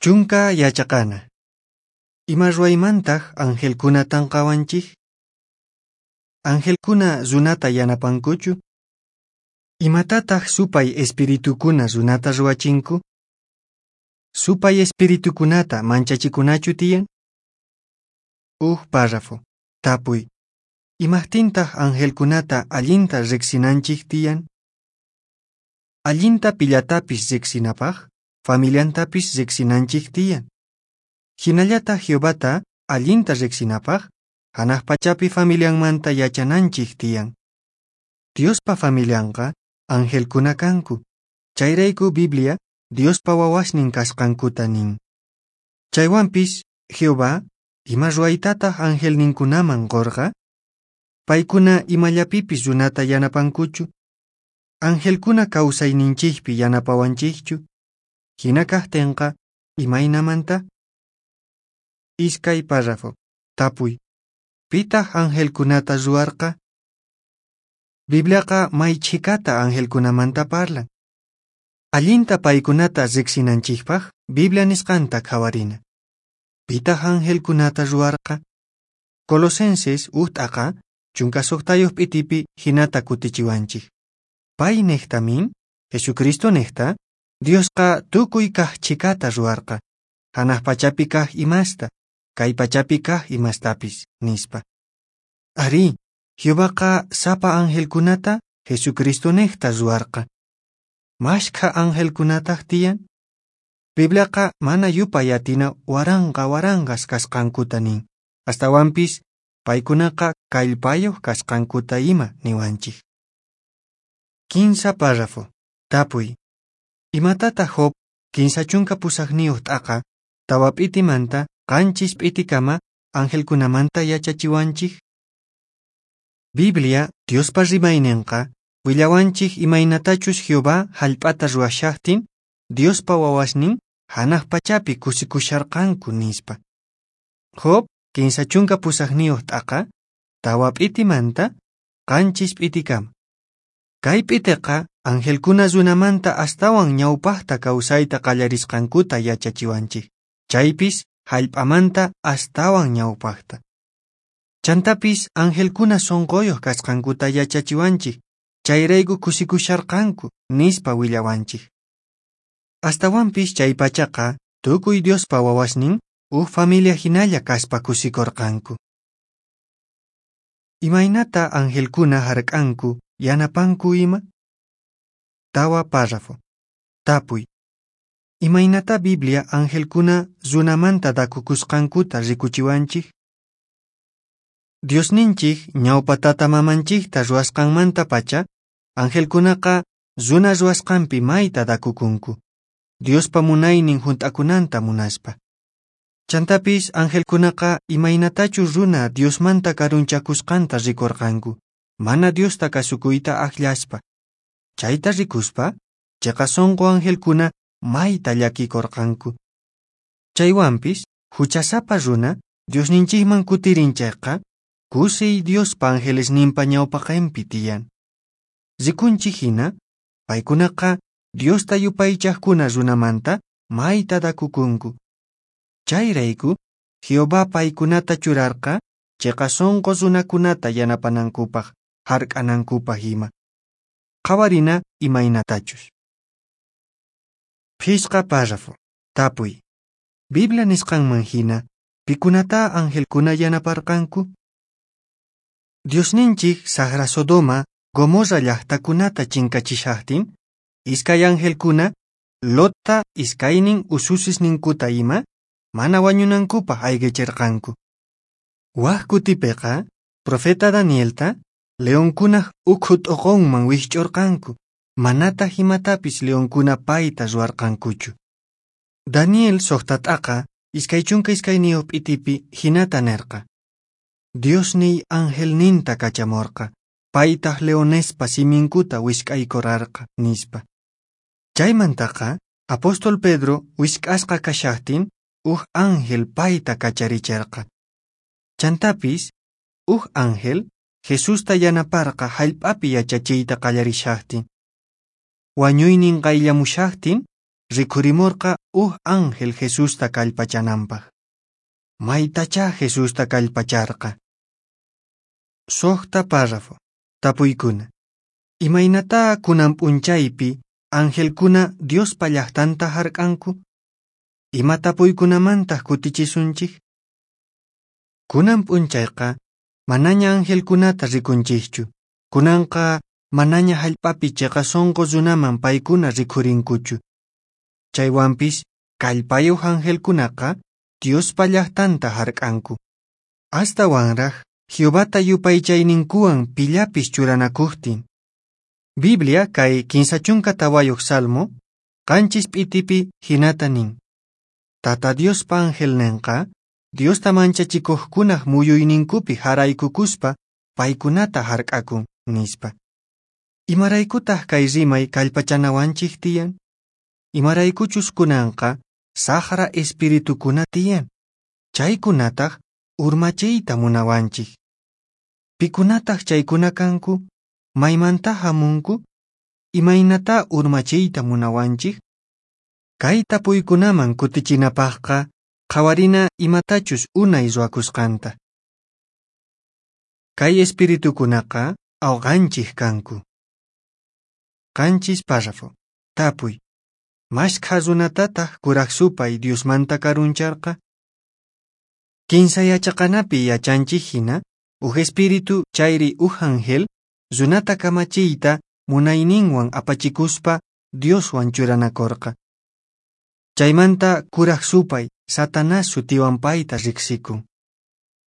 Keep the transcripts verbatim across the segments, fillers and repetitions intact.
Chunka yachaqana. Ima ruwaymantaq angelkuna tanqawanchik? Angelkuna runata yanapankuchu? Imatataq supay espiritukuna runata ruwachinku? Supay espiritukunata manchachikunachu tiyan? Uj párrafo. Tapuy. Imaqtintaq angelkunata allinta riqsinanchik tiyan? Allinta pillatapis riqsinapaq, familiantapis riqsinanchik tiyan. Hinallataq Jehovata allinta riqsinapaq, hanaq pachapi familianmanta yachananchik tiyan. Diospa familianqa angelkuna kanku. Chayrayku Biblia Diospa wawasnin kasqankuta nin. Chaywanpis Jehová ima ruwaytataq angelninkunaman qurqa? Paykuna imallapipis runata yanapankuchu? Angelkuna kawsayninchikpi yanapawanchikchu? Hina kaqtinqa imaynamanta? Iskay párrafo. Tapuy. Pitaq angelkunata ruwarqa? Bibliaqa may chhikata angelkunamanta parlan. Allinta paykunata riqsinanchikpaq Biblia nisqanta qhawarina. Pitaq angelkunata ruwarqa? Colosenses uj t'aqa chunka suqtayuq p'itipi hinata kutichiwanchik. Pay niqtamin, Jesucristo niqta, Diosqa tukuy kaq chhikata ruwarqa, hanaq pachapi kaq imasta, kay pachapi kaq imastapis, nispa. Arí, Jehovaqa sapa angelkunata Jesucristo niqta ruwarqa. Mashkha angelkunataq tiyan? Bibliaqa mana yupay atina waranqa waranqas kasqankuta nin. Astawanpis paykunaqa kallpayuq kasqankuta ima niwanchik. Kinsa párrafo. Tapuy. Imatataq Job kinsa chunka pusaqniyuq t'aqa tawa p'itimanta qanchis p'itikama angelkunamanta yachachiwanchik? Biblia Diospa rimayninqa willawanchik imaynatachus Jehová hallp'ata ruwashaqtin Diospa wawasnin hanaq pachapi kusikusharqanku nispa. Job kinsa chunka pusaqniyuq t'aqa tawa p'itimanta qanchis p'itikama. Kay p'itiqa angelkuna runamanta astawan ñawpaqta kawsayta qallarisqankuta yachachiwanchik. Chaypis hallp'amanta astawan ñawpaqta. Chantapis angelkuna sunquyuq kasqankuta yachachiwanchik, chayrayku kusikusharqanku nispa willawanchik. Astawanpis chay pachaqa tukuy Diospa wawasnin uj familia hinalla kaspa kusikurqanku. Imaynata angelkuna hark'anku yanapanku ima? Tawa párrafo. Tapuy. Imaynata Biblia angelkuna runamanta dakukusqankuta rikuchiwanchik? Diosninchik ñawpa tata mamanchikta ruwasqanmanta pacha, angelkunaqa runa ruwasqanpi mayta dakukunku, Diospa munaynin hunt'akunanta munaspa. Chantapis angelkunaqa imaynatachus runa Diosmanta karunchakusqanta rikurqanku, mana Diosta kasukuyta akllaspa. Chayta rikuspa, chiqa sunqu angelkuna mayta llakikurqanku. Chaywanpis, huchasapa runa Diosninchikman kutirin chayqa, kusiy Diospa angelesninpa ñawpaqinpi tiyan. Rikunchik hina, paykunaqa Diosta yupaychaqkuna runamanta mayta dakukunku. Chayrayku, Jehová paykunata churarqa chiqa sunqu runakunata yanapanankupaq, hark'anankupaq ima. Qhawarina imaynatachus. Phisqa párrafo. Tapuy. Biblia nisqanman hina, pikunata angelkuna yanaparqanku? Diosninchik saqra Sodoma, Gomorra llaqtakunata chinkachishaqtin, iskay angelkuna Lotta iskaynin ususisninkuta ima, mana wañunankupaq ayqichirqanku. Wak kutipiqa, profeta Danielta, leonkunaq ukhu t'uqunman wikch'urqanku, manataq imatapis leonkuna payta ruwarqankuchu. Daniel suqta t'aqa iskay chunka iskayniyuq p'itipi hinata nirqa. Diosniy angelninta kachamurqa, paytaq leonespa siminkuta wisk'aykurarqa, nispa. Chaymantaqa, apóstol Pedro wisk'asqa kashaqtin, uj ángel payta kacharichirqa. Chantapis, uj ángel Jesusta yanaparqa hallp'api yachachiyta qallarishaqtin. Wañuynin qayllamushaqtin, rikhurimorqa uj ángel Jesusta kallpachananpaq. Maytachá Jesusta kallpacharqa. Suqta párrafo. Tapuykuna. Imaynatá kunan p'unchaypi angelkuna Diospa llaqtanta hark'anku? Ima tapuykunamantaq kutichisunchik? Kunan p'unchayqa manaña angelkunata rikunchikchu. Kunanqa manaña hallp'api chiqa sunqu runaman paykuna rikhurinkuchu. Chaywanpis kallpayuq angelkunaqa Diospa llaqtanta hark'anku. Astawanraq Jehovata yupaychayninkuwan pillapis churanakuqtin. Biblia kay kinsa chunka tawayuq Salmo, qanchis p'itipi hinata nin. Tata Diospa angelninqa Diosta manchachikuqkunaq muyuyninkupi haraykukuspa paykunata hark'akun, nispa. Imaraykutaq kay rimay kallpachanawanchik tiyan? Imaraykuchus kunanqa saqra espiritukuna tiyan. Chaykunataq urmachiyta munawanchik. Pikunataq chaykuna kanku? Maymanta hamunku? Imaynatá urmachiyta munawanchik? Kay tapuykunaman kutichinapaqqa qhawarina imatachus unay ruwakusqanta. Kay espiritukunaqa awqanchik kanku. Qanchis párrafo. Tapuy. Mashkha runatataq kuraq supay Diosmanta karuncharqa? Kinsa yachaqanapi yachanchik hina, uj espíritu chayri uj ángel runata kamachiyta munayninwan apachikuspa Dioswan churanakurqa. Chaymanta kuraq supay Satanás sutiwan payta riqsikun.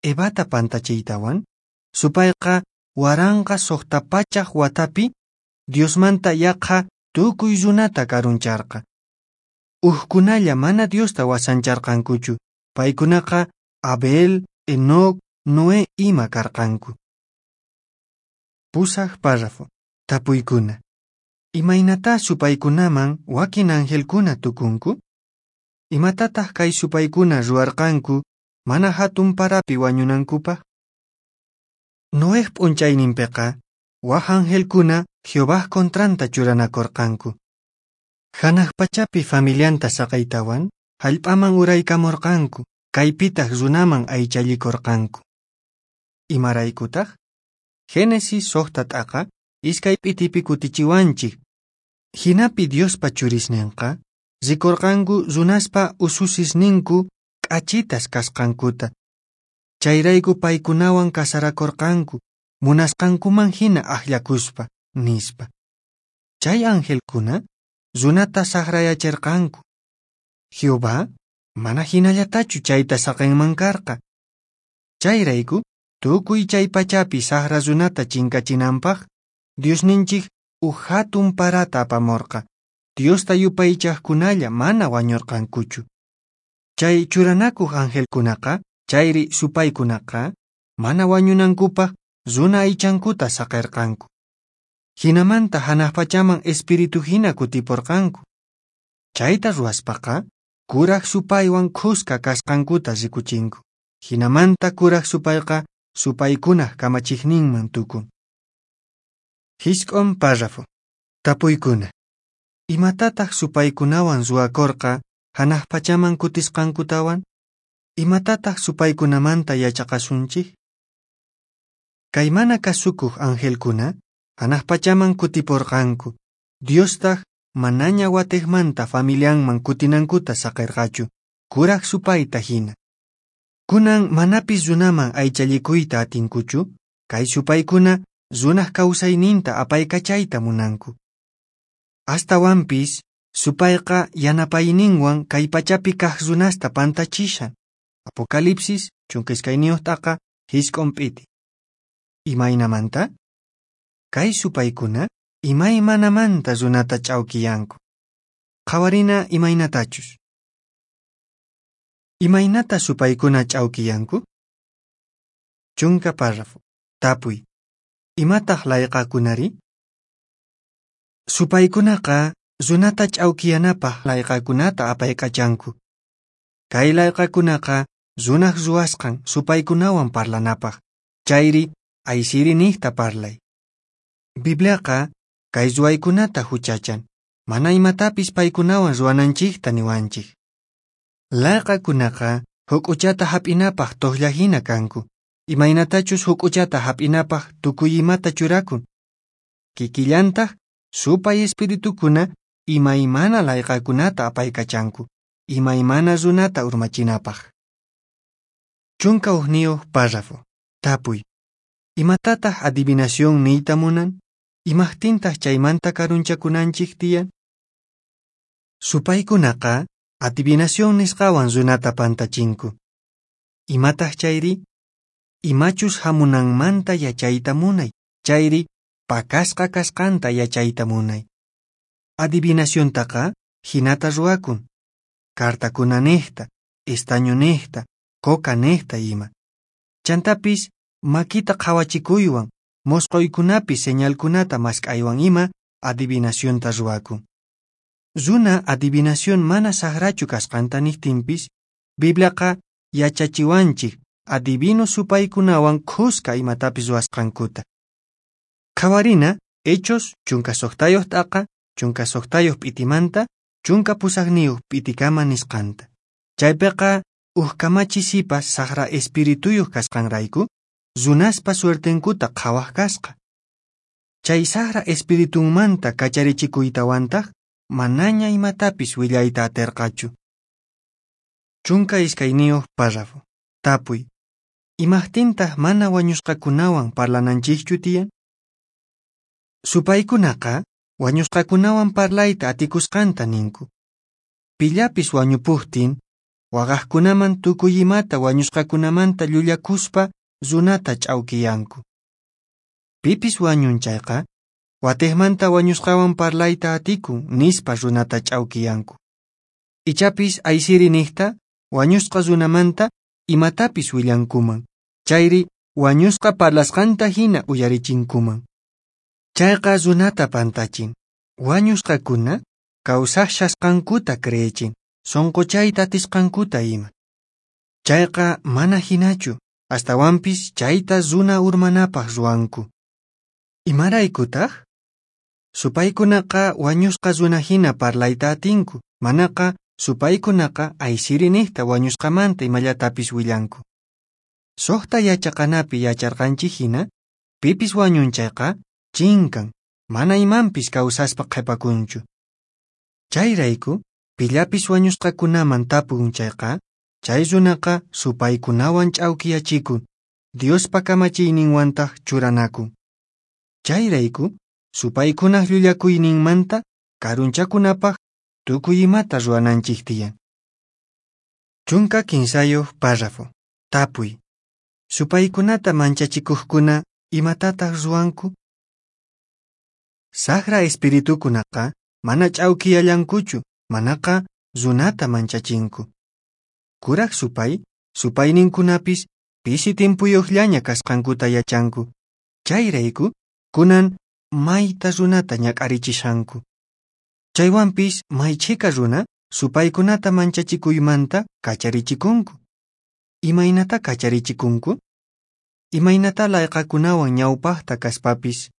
Evata pantachiytawan, supayqa waranqa suqta pachaq watapi Diosmanta yaqha tukuy runata karuncharqa. Ujkunalla mana Diosta wasancharqankuchu, paykunaqa Abel, Enoc, Noé ima karqanku. Pusaq párrafo. Tapuykuna. Imaynatá supaykunaman wakin angelkuna tukunku? Imatataq kay supaykuna ruwarqanku mana hatun parapi wañunankupaq? Noej p'unchayninpiqa waj angelkuna Jehovaj kontranta churanakurqanku. Hanaq pachapi familianta saqaytawan hallp'aman uraykamurqanku, kaypitaq runaman aychallikurqanku. Imaraykutaq? Génesis suqta t'aqa iskay p'itipi kutichiwanchik. Hinapi Diospa churisninqa rikurqanku runaspa ususisninku k'achitas kasqankuta. Chayrayku paykunawan kasarakurqanku, munasqankuman hina akllakuspa, nispa. Chay angelkuna runata saqrayachirqanku. Jehová mana hinallatachu chayta saqinman karqa. Chayrayku tukuy chay pachapi saqra runata chinkachinanpaq Diosninchik uj hatun parata apamurqa. Diosta yupaychaqkunalla mana wañurqankuchu. Chay churanakuq angelkunaqa, chayri supaykunaqa, mana wañunankupaq runa aychankuta saqirqanku. Hinamanta hanaq pachaman espíritu hina kutipurqanku. Chayta ruwaspaqa kuraq supaywan khuska kasqankuta rikuchinku. Hinamanta kuraq supayqa supaykunaq kamachiqninman tukun. Hisk'un párrafo. Tapuykuna. Imatataq supaykunawan ruwakurqa hanaq pachaman kutisqankutawan? Imatataq supaykunamanta yachaqasunchik? Kay mana kasukuq angelkuna hanaq pachaman kutipurqanku. Diostaq manaña watiqmanta familianman kutinankuta saqirqachu, kuraq supayta hina. Kunan manapis runaman aychallikuyta atinkuchu, kay supaykuna runaq kawsayninta apaykachayta munanku. Astawanpis supayqa yanapayninwan kay pachapi kaq runasta pantachishan. Apocalipsis chunka iskayniyuq t'aqa hisk'un p'iti. Imaynamanta? Kay supaykuna imaymanamanta runata ch'awkiyanku. Qhawarina imaynatachus. Imaynata supaykuna ch'awkiyanku? Chunka párrafo. Tapuy. Imataq layqakunari? Supaykunaqa runata ch'awkiyanapaq layqakunata apaykachanku. Kay layqakunaqa runaq ruwasqan supaykunawan parlanapaq, chayri aysiri niqta parlay. Bibliaqa kay ruwaykunata huchachan. mana imatapis paykunawan ruwananchikta niwanchik. Layqakunaqa huk'uchata hap'inapaq tuqllahina kanku, imaynatachus huk'uchata hap'inapaq tukuy imata churakun. Kikillantaq supay espiritukuna imaymana layqakunata apaykachanku, imaymana runata urmachinapaq. Chunka hukniyuq párrafo. Tapuy. Imatataq adivinación niyta munan? Imaqtintaq chaymanta karunchakunanchik tiyan? Supaykunaqa adivinación nisqawan runata pantachinku. Imataq chayri? Imachus hamunanmanta yachayta munay, chayri pakasqa kasqanta yachayta munay. Adivinaciontaqa hinata ruwakun. Cartakuna niqta, estaño niqta, coca niqta ima. Chantapis makita qhawachikuywan, mosqoykunapi señalkunata mask'aywan ima adivinacionta ruwakun. Runa adivinación mana saqrachu kasqanta niqtinpis, Bibliaqa yachachiwanchik adivino supaykunawan khuska imatapis ruwasqankuta. Qhawarina Hechos chunka suqtayuq t'aqa, chunka suqtayuq p'itimanta, chunka pusaqniyuq p'itikama nisqanta. Chaypiqa uj kamachi sipas saqra espirituyuq kasqanrayku, runaspa suertenkuta qhawaq kasqa. Chay saqra espiritunmanta kacharichikuytawantaq manaña imatapis willayta atirqachu. Chunka iskayniyuq párrafo. Tapuy. Imaqtintaq mana wañusqakunawan parlananchikchu tiyan? Supaykunaqa wañusqakunawan parlayta atikusqanta ninku. Pillapis wañupuqtin, waqaqkunaman tukuy imata wañusqakunamanta llullakuspa runata ch'awkiyanku. Pipis wañun chayqa, watiqmanta wañusqawan parlayta atikun nispa runata ch'awkiyanku. Ichapis aysiri niqta wañusqa runamanta imatapis willankuman, chayri wañusqa parlasqanta hina uyarichinkuman. Chayqa runata pantachin, wañusqakuna kawsashasqankuta creechin, sunquchayta atisqankuta ima. Chayqa mana hinachu, astawanpis chayta runa urmanapaq ruwanku. Imaraykutaq? Supaykunaqa wañusqa runa hina parlayta atinku, manaqa supaykunaqa aysiri niqta wañusqamanta imallatapis willanku. Suqta yachaqanapi yacharqanchik hina, pipis wañun chayqa chinkan, mana imanpis kawsaspa qhipakunchu. Chayrayku, pillapis wañusqakunaman tapun chayqa, chay runaqa supaykunawan ch'awkiyachikun, Diospa kamachiyninwantaq churanakun. Chayrayku, supaykunaq llullakuyninmanta karunchakunapaq tukuy imata ruwananchik tiyan. Chunka kinsayuq párrafo. Tapuy. Supaykunata manchachikuqkuna imatataq ruwanku? Saqra espiritukunaqa mana ch'awkiyallankuchu, manaqa runata manchachinku. Kuraq supay, supayninkunapis pisi timpuyuqllaña kasqankuta yachanku. Chayrayku, kunan mayta runata ñak'arichishanku. Chaywanpis may chhika runa supaykunata manchachikuymanta kacharichikunku. Imaynata kacharichikunku? Imaynata layqakunawan ñawpaqta kaspapis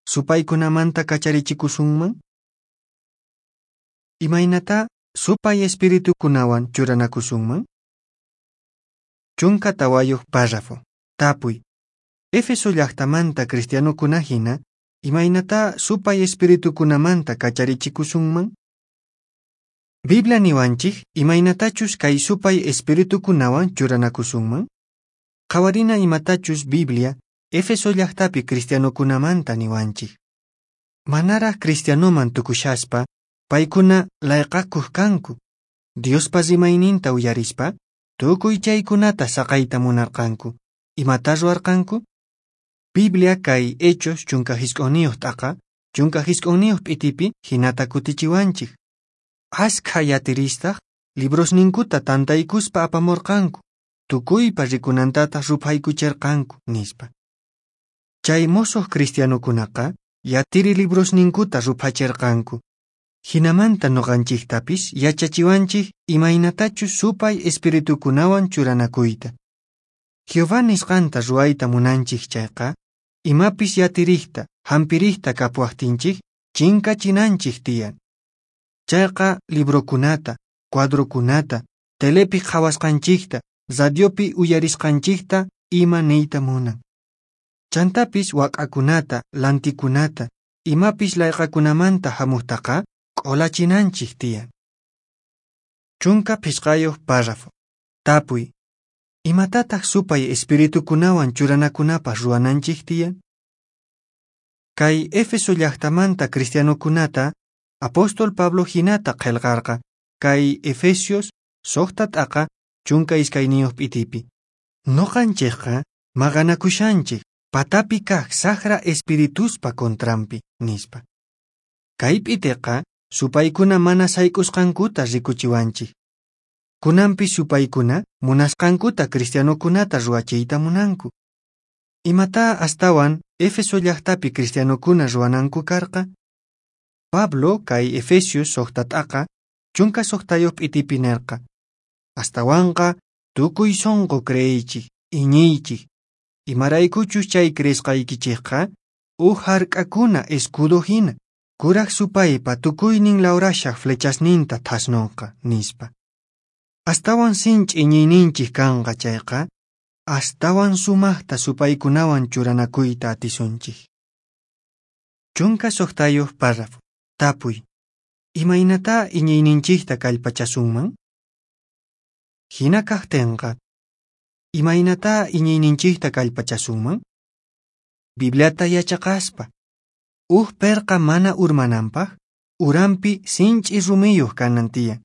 supaykunamanta kacharichikusunman? Imaynata supay espiritukunawan churanakusunman? Chunka tawayuq párrafo. Tapuy. Éfeso llaqtamanta cristianokuna hina, imaynata supay espiritukunamanta kacharichikusunman? Biblia niwanchik imaynatachus kay supay espiritukunawan churanakusunman? Qhawarina imatachus Biblia Éfeso llaqtapi cristianokunamanta niwanchik. Manaraq cristianoman tukushaspa, paykuna layqakuq kanku. Diospa rimayninta uyarispa, tukuy chaykunata saqayta munarqanku. Imata ruwarqanku? Biblia kay Hechos chunka hisq'unniyuq t'aqa, chunka hisq'unniyuq p'itipi hinata kutichiwanchik. Askha yatiristaq librosninkuta tantaykuspa apamurqanku, tukuypa rikunantataq ruphaykuchirqanku, nispa. Chay mosoq cristianokunaqa yatiri librosninkuta ruphachirqanku. Hinamanta nuqanchiktapis yachachiwanchik imaynatachus supay espiritukunawan churanakuyta. Jehová nisqanta ruwayta munanchik chayqa, imapis yatirikta, hampirikta kapuwaqtinchik chinkachinanchik tiyan. Chayqa librokunata, cuadrokunata, telepi qhawasqanchikta, radiopi uyarisqanchikta ima niyta munan. Chantapis wak'akunata, lantikunata, imapis layqakunamanta hamuqtaqa q'ulachinanchik tiyan. Chunka phisqayuq párrafo. Tapuy. Imatataq supay espiritukunawan churanakunapaq ruwananchik tiyan? Kay Éfeso llaqtamanta cristianokunata apóstol Pablo hinata qillqarqa kay Efesios suqta t'aqa chunka iskayniyuq p'itipi. Nuqanchikqa maqanakushanchik patapi kaq saqra espirituspa contranpi, nispa. Kay p'itiqa supaykuna mana sayk'usqankuta rikuchiwanchik. Kunanpi supaykuna munasqankuta cristianokunata ruwachiyta munanku. Imata astawan Éfeso llaqtapi cristianokuna ruwananku karqa? Pablo kay Efesios suqta t'aqa chunka suqtayuq p'itipi nirqa: Astawanqa tukuy sunqu creeychik, iñiychik, imaraykuchus chay creesqaykichikqa uj hark'akuna escudo hina, kuraq supaypa tukuynin lawrashaq flechasninta thasnunqa, nispa. Astawan sinch'i iñiyninchik kanqa chayqa, astawan sumaqta supaykunawan churanakuyta atisunchik. Chunka suqtayuq párrafo. Tapuy. Imaynatá iñiyninchikta kallpachasunman? Hina kaqtinqa, imaynatá iñiyninchikta kallpachasunman? Bibliata yachaqaspa. Uj perqa mana urmananpaq, uranpi sinch'i rumiyuq kanan tiyan.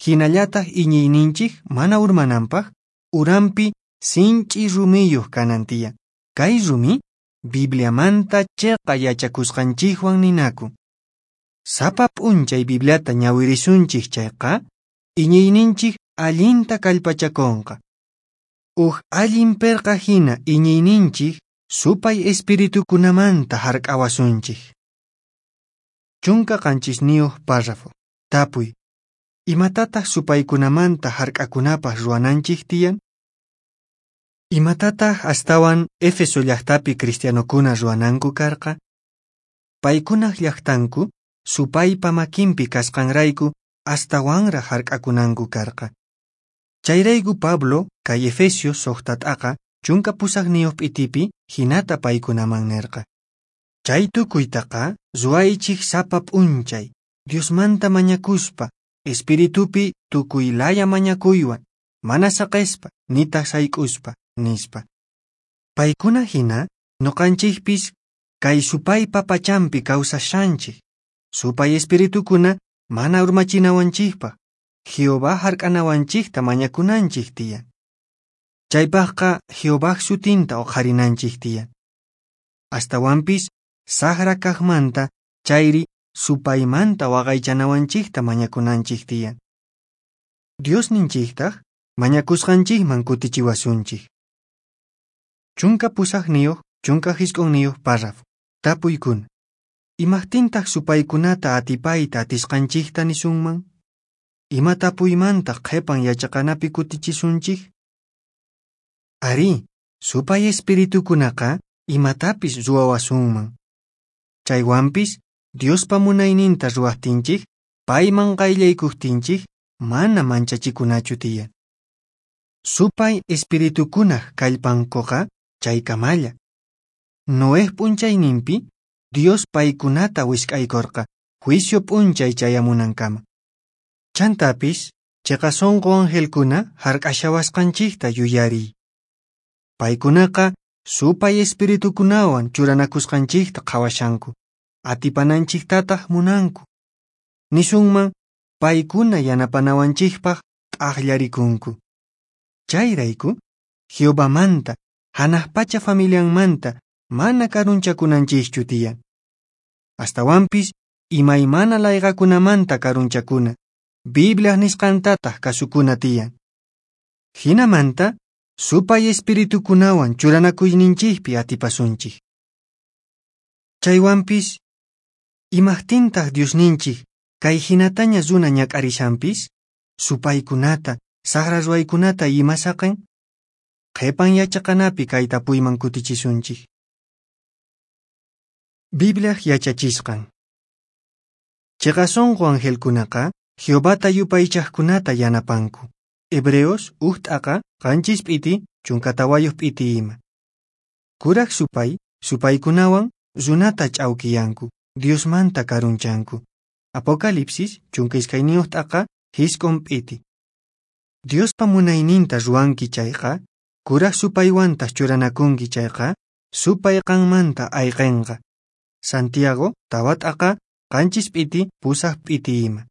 Hinallataq iñiyninchik mana urmananpaq, uranpi sinch'i rumiyuq kanan tiyan. Kay rumi Bibliamanta chiqa yachakusqanchikwan ninakun. Sapa p'unchay Bibliata ñawirisunchik chayqa, iñiyninchik allinta kallpachakunqa. Uj allin perqa hina iñiyninchik supay espiritukunamanta hark'awasunchik. Chunka qanchisniyuq párrafo. Tapuy. Imatataq supaykunamanta hark'akunapaq ruwananchik tiyan? Imatataq astawan Éfeso llaqtapi cristianokuna ruwananku karqa? Paykunaq llaqtanku supaypa makinpi kasqanrayku astawanraq hark'akunanku karqa. Chayrayku Pablo kay Efesios suqta t'aqa chunka pusaqniyuq p'itipi hinata paykunaman nirqa: Chay tukuytaqa ruwaychik sapa p'unchay, Diosmanta mañakuspa, espiritupi tukuy laya mañakuywan, mana saqespa, nitaq sayk'uspa, nispa. Paykuna hina nuqanchikpis kay supaypa pachanpi kawsashanchik. Supay espiritukuna mana urmachinawanchikpaq, Jehová hark'anawanchikta mañakunanchik tiyan. Chaypaqqa Jehovaj sutinta uqharinanchik tiyan. Astawanpis saqra kaqmanta chayri supaymanta waqaychanawanchikta mañakunanchik tiyan. Diosninchiktaq mañakusqanchikman kutichiwasunchik. Chunka pusaqniyuq, chunka hisq'unniyuq párrafo. Tapuykuna. Imaqtintaq supaykunata atipayta atisqanchikta nisunman? Ima tapuymantaq qhipan yachaqanapi kutichisunchik? Arí, supay espiritukunaqa imatapis ruwawasunman. Chaywanpis Diospa munayninta ruwaqtinchik, payman qayllaykuqtinchik, mana manchachikunachu tiyan. Supay espiritukunaq kallpankuqa chaykamalla. Noej p'unchayninpi Dios paykunata wisk'aykurqa juicio p'unchay chayamunankama. Chantapis chiqa sunqu angelkuna hark'ashawasqanchikta yuyariy. Paykunaqa supay espiritukunawan churanakusqanchikta qhawashanku, atipananchiktataq munanku. Nisunman paykuna yanapanawanchikpaq t'aqllarikunku. Chayrayku Jehovamanta, hanaq pacha familianmanta mana karunchakunanchikchu tiyan. Astawanpis imaymana layqakunamanta karunchakuna, Bibliaq nisqantataq kasukuna tiyan. Hinamanta supay espiritukunawan churanakuyninchikpi atipasunchik. Chaywanpis, imaqtintaq Diosninchik kay hinataña runa ñak'arishanpis, supaykunata, saqra ruwaykunata ima saqen? Qhipan yachaqanapi kay tapuyman kutichisunchik. Bibliaq yachachisqan. Chiqa sunqu angelkunaqa Jehovata yupaychaqkunata yanapanku. Hebreos huk t'aqa qanchis p'iti chunka tawayuq p'iti ima. Kuraq supay, supaykunawan runata ch'awkiyanku, Diosmanta karunchanku. Apocalipsis chunka iskayniyuq t'aqa jisq'un p'iti. Diospa munayninta ruwanki chayqa, kuraq supaywantaq churanakunki chayqa, supay qanmanta ayqinqa. Santiago tawa t'aqa qanchis p'iti pusaq p'iti ima.